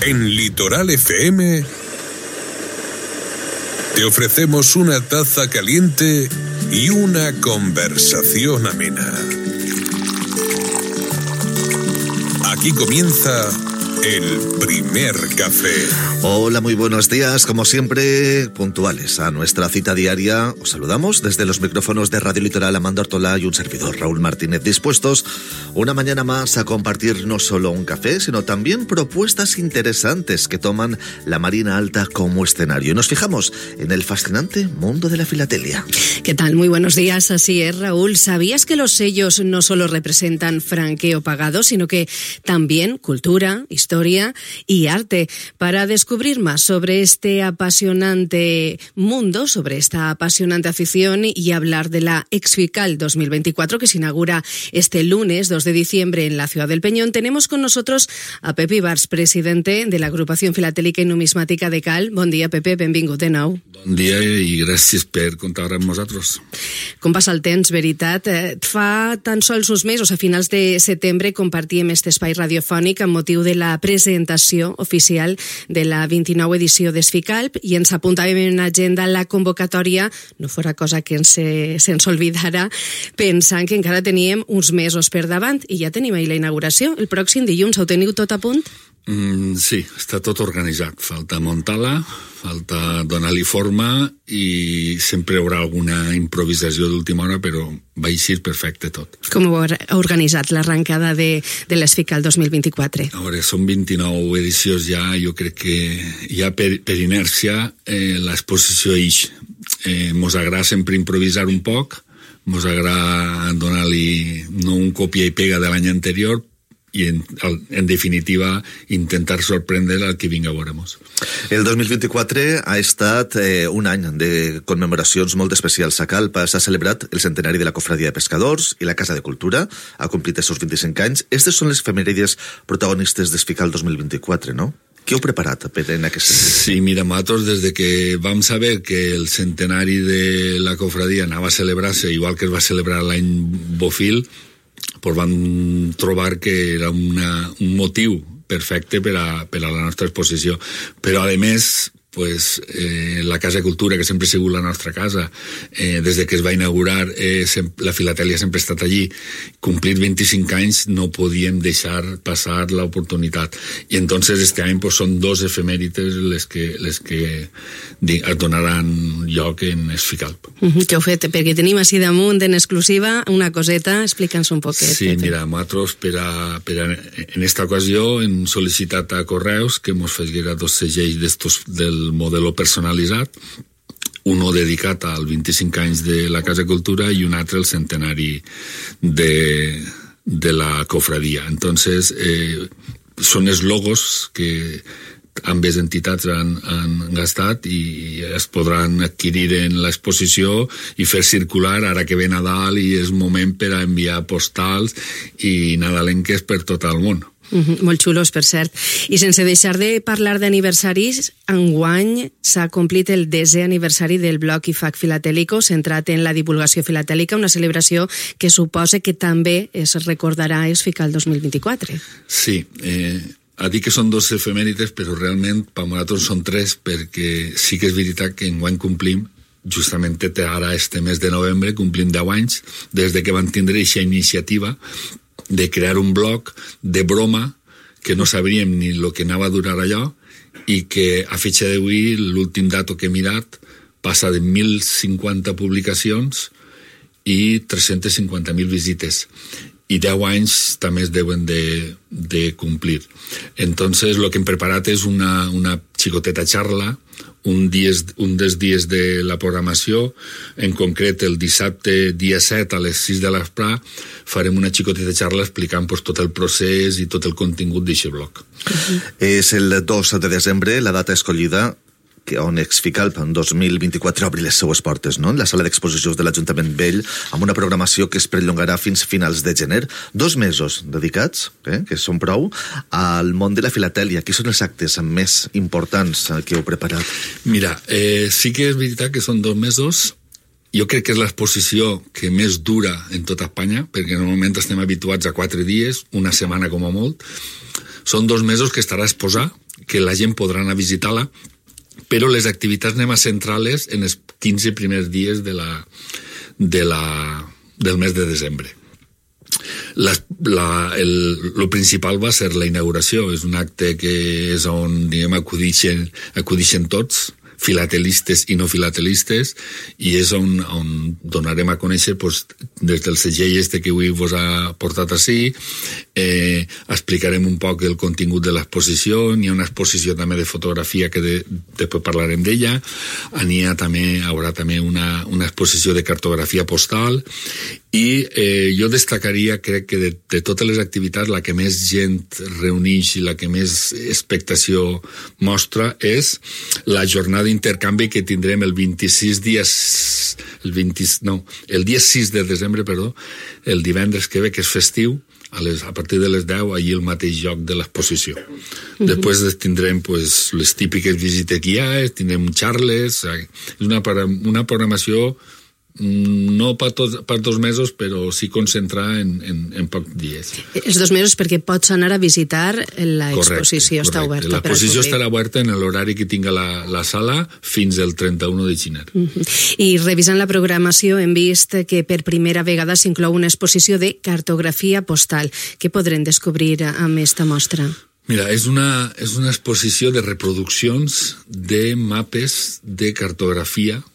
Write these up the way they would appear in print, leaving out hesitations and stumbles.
En Litoral FM te ofrecemos una taza caliente y una conversación amena. Aquí comienza el primer café. Hola, muy buenos días. Como siempre, puntuales a nuestra cita diaria. Os saludamos desde los micrófonos de Radio Litoral, Amanda Ortola y un servidor, Raúl Martínez, dispuestos una mañana más a compartir no solo un café, sino también propuestas interesantes que toman la Marina Alta como escenario. Nos fijamos en el fascinante mundo de la filatelia. ¿Qué tal? Muy buenos días. Así es, Raúl. ¿Sabías que los sellos no solo representan franqueo pagado, sino que también cultura, historia y arte? Para descubrir más sobre este apasionante mundo, sobre esta apasionante afición y hablar de la Exfical 2024 que se inaugura este lunes 2 de diciembre en la ciudad del Peñón, tenemos con nosotros a Pepe Ibars, presidente de la Agrupación Filatèlica i Numismàtica de Cal. Bon dia, Pepe, benvingut de nou. Bon dia i gràcies per comptar amb nosaltres. Com passa el temps, veritat? Fa tan sols uns mesos, a finals de setembre, compartíem este espai radiofònic amb motiu de la presentació oficial de la 29 edició d'Exficalp i ens apuntàvem en agenda la convocatòria, no fora cosa que se'ns oblidara, pensant que encara teníem uns mesos per davant i ja tenim ahir la inauguració. El pròxim dilluns ho teniu tot a punt? Sí, està tot organitzat. Falta muntar-la, falta donar-li forma i sempre hi haurà alguna improvisació d'última hora, però va eixir perfecte tot. Com heu organitzat l'arrencada de l'Exfical 2024? A veure, són 29 edicions ja, jo crec que ja per inèrcia l'exposició ix. Mos agrada sempre improvisar un poc, mos agrada donar-li no un copia i pega de l'any anterior i en definitiva intentar sorprendre al que vinga a veure-mos. El 2024 ha estat un any de commemoracions molt especials a Calp. S'ha celebrat el centenari de la Cofradia de Pescadors i la Casa de Cultura ha complit els seus 25 anys. Estes són les efemèrides protagonistes d'Exfical 2024, no? Què heu preparat en aquest sentit? Sí, mira, nosaltres des de que vam saber que el centenari de la cofradia anava a celebrar-se igual que es va celebrar l'any Bofil, pues vam trobar que era un motiu perfecte per a la nostra exposició. Però, a més, pues, la Casa de Cultura, que sempre ha sigut la nostra casa, des de que es va inaugurar, la filatèlia sempre ha estat allí. Complir 25 anys no podíem deixar passar l'oportunitat. I entonces este any pues, són dos efemèrides les que es donaran lloc en Exficalp. Què heu fet? Perquè tenim així damunt en exclusiva una coseta, explica'ns un poquet. Sí, mira, nosaltres en esta ocasió hem sol·licitat a Correus que ens fessin dos segells del modelo personalitzat, uno dedicat al 25 anys de la Casa de Cultura i un altre al centenari de la cofradia. Entonces, són els logos que ambes entitats han gastat i es podran adquirir en l'exposició i fer circular ara que ve Nadal i és moment per a enviar postals i nadalenques per tot el món. Molt xulos, per cert. I sense deixar de parlar d'aniversaris, enguany s'ha complit el 10è aniversari del Bloc IFAC Filatélico, centrat en la divulgació filatèlica, una celebració que suposa que també es recordarà Exfical 2024. Sí, a dir que són dos efemèrides, però realment per nosaltres són tres, perquè sí que és veritat que enguany complim justament ara este mes de novembre, complim 10 anys des de que van tindre aquesta iniciativa de crear un blog de broma que no sabríem ni el que anava a durar allò i que a fetge d'avui, l'últim dato que he mirat, passa de 1.050 publicacions i 350.000 visites. I 10 anys també es deuen de complir. Entonces, lo que hem preparat és una xicoteta xarla, un dels dies de la programació, en concret el dissabte dia 7 a les 6 de l'espre farem una xicoteta xarla explicant pues, tot el procés i tot el contingut d'aquest blog. És el 2 de desembre, la data escollida on Exficalp en 2024 obri les seues portes, no? En la sala d'exposicions de l'Ajuntament Vell, amb una programació que es perllongarà fins finals de gener. 2 mesos dedicats, que són prou, al món de la filatèlia. Quins són els actes més importants que heu preparat? Mira, sí que és veritat que són 2 mesos. Jo crec que és l'exposició que més dura en tota Espanya, perquè normalment estem habituats a 4 dies, una setmana com a molt. Són 2 mesos que estarà exposat, que la gent podrà anar a visitar-la, però les activitats anem a centrar-les en els 15 primers dies del mes de desembre. Lo principal va ser la inauguració. És un acte que és on, diguem, acudixen tots, filatelistes i no filatelistes, i és on donarem a conèixer des del segell que avui vos ha portat ací, explicarem un poc el contingut de l'exposició. N'hi ha una exposició també de fotografia que després parlarem d'ella, hi haurà també una exposició de cartografia postal, i jo destacaria, crec que de totes les activitats, la que més gent reuneix i la que més expectació mostra és la jornada d'intercanvi que tindrem el dia 6 de desembre, el divendres que ve, que és festiu, a partir de les 10, allí al mateix lloc de l'exposició. Després tindrem les típiques visites guiades, tindrem xarles, és una programació no per 2 mesos, però sí concentrar en pocs dies. Els 2 mesos perquè pots anar a visitar l'exposició, està oberta. L'exposició estarà oberta en l'horari que tinga la sala fins al 31 de gener. I revisant la programació hem vist que per primera vegada s'inclou una exposició de cartografia postal. Què podrem descobrir amb aquesta mostra? Mira, és una exposició de reproduccions de mapes de cartografia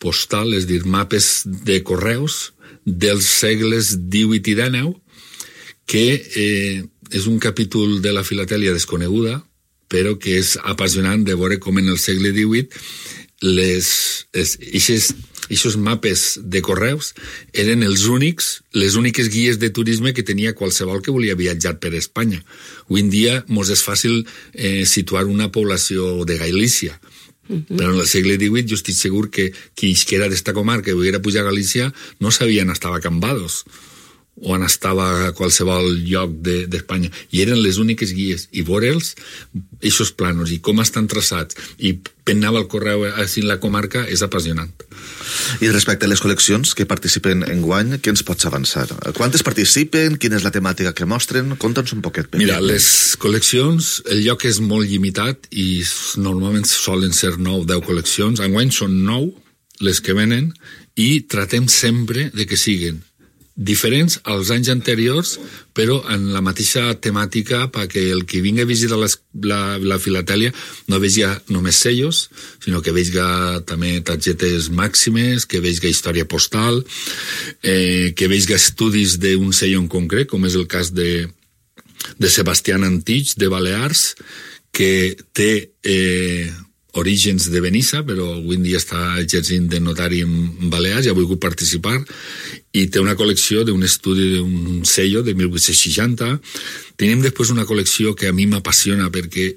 postal, és a dir, mapes de correus dels segles XVIII i XIX, que és un capítol de la filatèlia desconeguda, però que és apassionant de veure com en el segle XVIII aquests mapes de correus eren les úniques guies de turisme que tenia qualsevol que volia viatjar per Espanya. Avui en dia mos és fàcil situar una població de Galícia, però en el segle XVIII jo estic segur que qui era d'esta comarca i volguera pujar a Galícia no sabia on estava Cambados o on estava a qualsevol lloc d'Espanya, i eren les úniques guies, i veure'ls, aquests planos, i com estan traçats, i per anava el correu així en la comarca, és apassionant. I respecte a les col·leccions que participen enguany, què ens pots avançar? Quantes participen? Quina és la temàtica que mostren? Conta'ns un poquet. Mira, les col·leccions, el lloc és molt limitat i normalment solen ser 9 o 10 col·leccions. Enguany són 9 les que venen i tratem sempre de que siguin diferents als anys anteriors, però en la mateixa temàtica, perquè el que vingui a visitar la filatèlia no vegi només sellos, sinó que vegi també targetes màximes, que vegi història postal, que vegi estudis d'un sello en concret, com és el cas de Sebastián Antich, de Balears, que té orígens de Benissa, però avui en dia està exercint de notari en Balears i ha volgut participar, i té una col·lecció d'un estudi d'un sello de 1860. Tenim després una col·lecció que a mi m'apassiona perquè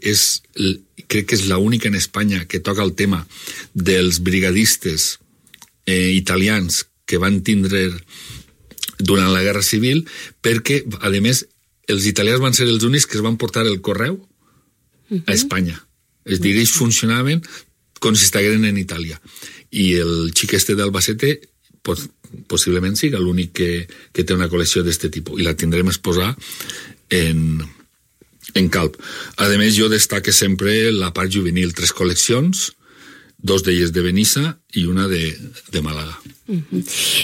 crec que és l'única en Espanya que toca el tema dels brigadistes italians que van tindre durant la Guerra Civil, perquè, a més, els italians van ser els únics que es van portar el correu a Espanya. És a dir, ells funcionaven com si estigueren en Itàlia. I el xic d'Albacete possiblement siga l'únic que té una col·lecció d'aquest tipus. I la tindrem exposar en Calp. A més, jo destaque sempre la part juvenil. 3 col·leccions, 2 d'elles de Benissa i una de Màlaga.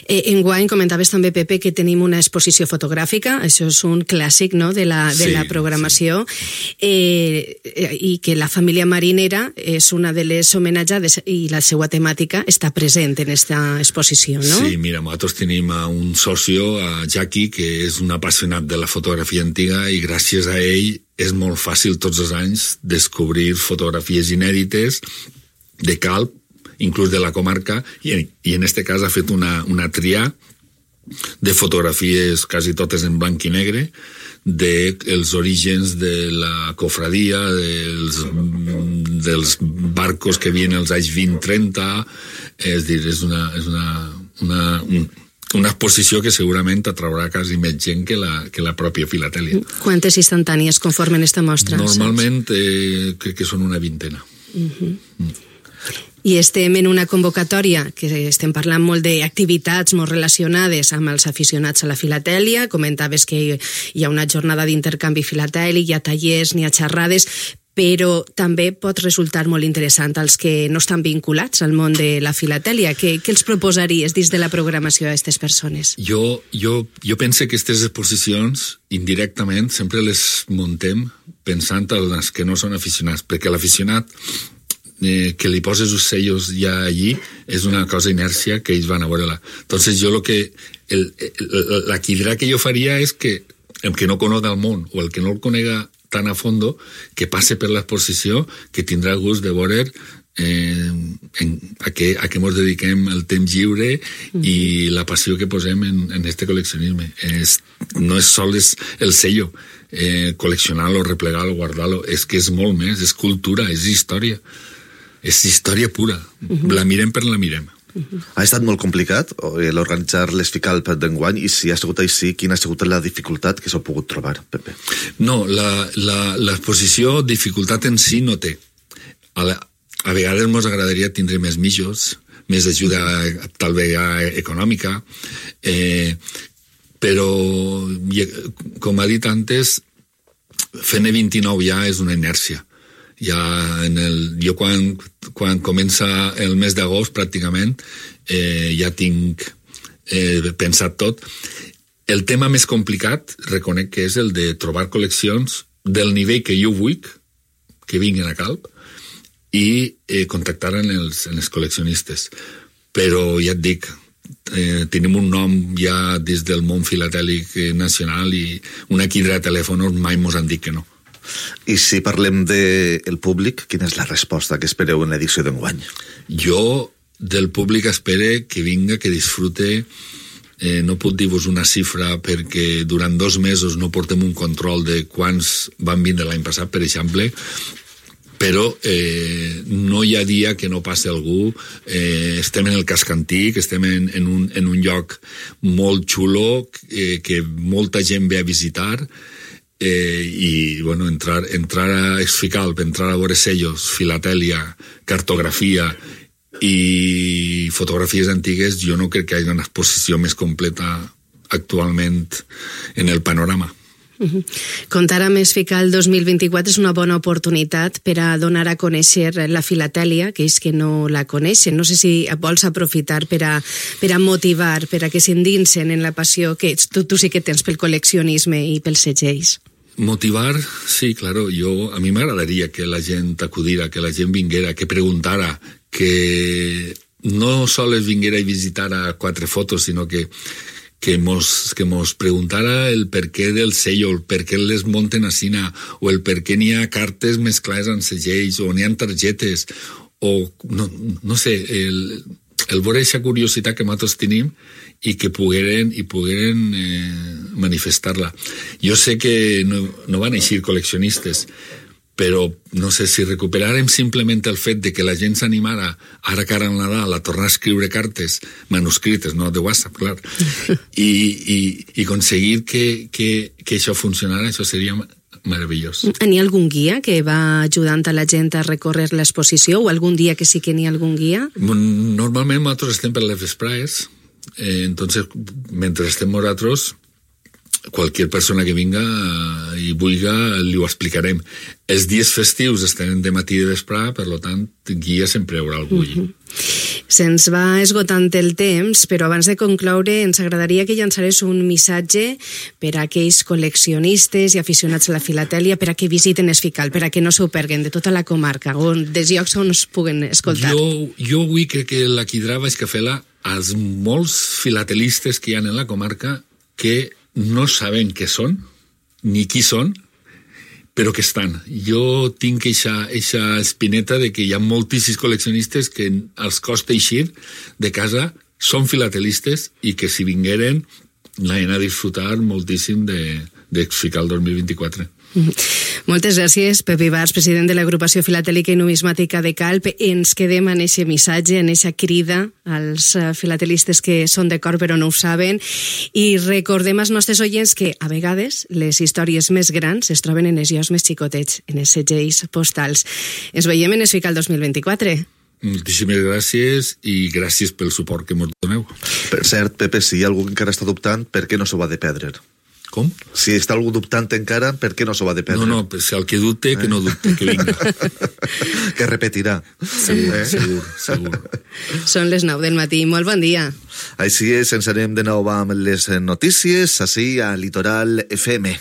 Enguany comentaves també, Pepe, que tenim una exposició fotogràfica, això és un clàssic, no?, de la programació, i que la família marinera és una de les homenatjades i la seva temàtica està present en aquesta exposició, no? Sí, mira, nosaltres tenim un socio, a Jackie, que és un apassionat de la fotografia antiga, i gràcies a ell és molt fàcil tots els anys descobrir fotografies inèdites de Calp, inclús de la comarca, i en este cas ha fet una trià de fotografies quasi totes en blanc i negre dels orígens de la cofradia, dels barcos que havien als anys 20-30, és dir, és una exposició que segurament atraurà quasi més gent que la pròpia filatèlia. Quantes instantànies conformen esta mostra? Normalment crec que són una 20. I estem en una convocatòria que estem parlant molt d'activitats molt relacionades amb els aficionats a la filatèlia. Comentaves que hi ha una jornada d'intercanvi filatèlic, hi ha tallers, n'hi ha xerrades, però també pot resultar molt interessant als que no estan vinculats al món de la filatèlia. Què els proposaries dins de la programació a aquestes persones? Jo penso que aquestes exposicions, indirectament, sempre les muntem pensant en els que no són aficionats, perquè l'aficionat que li poses els sellos ja allí és una cosa inèrcia que ells van a veure-la. Entonces jo la quidra que jo faria és que el que no coneix el món o el que no el conega tan a fondo, que passe per l'exposició, que tindrà el gust de veure a què ens dediquem el temps lliure i la passió que posem en este col·leccionisme. No és sols el sello, col·leccionar-lo, replegar-lo, guardar-lo, és que és molt més, és cultura, és història. És història pura. La mirem per la mirem. Ha estat molt complicat l'organitzar l'Esfical d'enguany i si ha sigut així, quina ha sigut la dificultat que s'ha pogut trobar, Pepe? No, l'exposició dificultat en si no té. A vegades ens agradaria tindre més mitjos, més ajuda tal vegada econòmica, però com ha dit antes, fent 29 ja és una inèrcia. Jo quan comença el mes d'agost pràcticament ja tinc pensat tot. El tema més complicat reconec que és el de trobar col·leccions del nivell que jo vull que vinguin a Calp i contactar en els col·leccionistes, però ja et dic, tenim un nom ja des del món filatèlic nacional i una quidra de telèfons mai mos han dit que no. I si parlem del públic, quina és la resposta que espereu en l'edició d'enguany? Jo del públic espere que vinga, que disfrute. No puc dir-vos una xifra perquè durant 2 mesos no portem un control de quants van vindre l'any passat, per exemple, però no hi ha dia que no passi algú. Estem en el casc antic, estem en un lloc molt xulo que molta gent ve a visitar, i bueno, entrar a Esficalp, entrar a veure sellos, filatèlia, cartografia i fotografies antigues, jo no crec que hi hagi una exposició més completa actualment en el panorama. Comptar amb Esfical 2024 és una bona oportunitat per a donar a conèixer la filatèlia, que és que no la coneixen. No sé si vols aprofitar per a motivar, per a que s'endinsen en la passió que tu sí que tens pel col·leccionisme i pels segells. Motivar, sí, claro. A mi m'agradaria que la gent acudira, que la gent vinguera, que preguntara, que no sols vinguera i visitara 4 fotos, sinó que mos preguntara el per què del sello, el per què les munten a Sina, o el per què n'hi ha cartes mesclades amb segells, o n'hi ha targetes, o no sé, el veure aquesta curiositat que nosaltres tenim i que pogueren manifestar-la. Jo sé que no van eixir col·leccionistes, però no sé si recuperarem simplement el fet de que la gent s'animara ara cara al Nadal a tornar a escriure cartes manuscrites, no de WhatsApp, clar, i aconseguir que això funcionara, això seria meravellós. N'hi ha algun guia que va ajudant a la gent a recórrer l'exposició, o algun dia que sí que n'hi ha algun guia? Normalment nosaltres estem per les vesprades, entonces mentre estem nosaltres qualsevol persona que vinga i vulga li ho explicarem. Els dies festius estem de matí i de vespre, per tant guia sempre hi haurà algú. Se'ns va esgotant el temps, però abans de concloure ens agradaria que llançares un missatge per a aquells col·leccionistes i aficionats a la filatèlia per a que visiten Esfical, per a que no s'ho perguen de tota la comarca, dels llocs on es puguen escoltar. Jo avui crec que la quidra vaig que fer-la als molts filatelistes que hi ha en la comarca que no saben què són, ni qui són, però que estan. Jo tinc eixa espineta de que hi ha moltíssims col·leccionistes que els costa eixir de casa, són filatelistes i que si vingueren anaven a disfrutar moltíssim d'Esfical 2024. Moltes gràcies, Pep Ibars, president de l'Agrupació Filatèlica i Numismàtica de Calp. Ens quedem en aquest missatge, en aquesta crida als filatelistes que són d'acord però no ho saben, i recordem als nostres oients que a vegades les històries més grans es troben en els llocs més xicotets, en els segells postals. Ens veiem en Esfical 2024. Moltíssimes gràcies i gràcies pel suport que ens doneu. Per cert, Pepe, si hi ha algú que encara està dubtant, per què no s'ho va de perdre? Com? Si està algú dubtant encara, per què no s'ho va de perdre? No, si el que dubte, que no dubte, que vinga. Que repetirà. Segur. Són les 9 del matí, molt bon dia. Així és, ens anem de nou amb les notícies, així a Litoral FM.